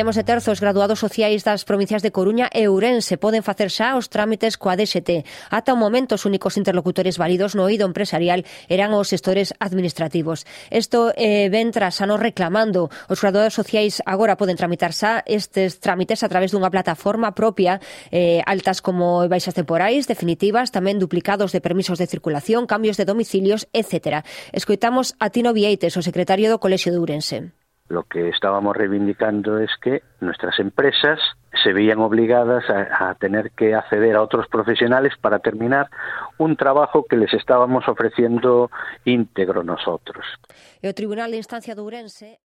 Temos de terzo, os graduados sociais das provincias de Coruña e Ourense poden facer xa os trámites coa DST. Ata o momento, os únicos interlocutores válidos no eido empresarial eran os xestores administrativos. Isto ven tras anos reclamando. Os graduados sociais agora poden tramitar xa estes trámites a través dunha plataforma propia, altas como baixas temporais, definitivas, tamén duplicados de permisos de circulación, cambios de domicilios, etc. Escoitamos a Tino Vieites, o secretario do Colexio de Ourense. Lo que estábamos reivindicando es que nuestras empresas se veían obligadas a tener que acceder a otros profesionales para terminar un trabajo que les estábamos ofreciendo íntegro nosotros. E o Tribunal de Instancia de Ourense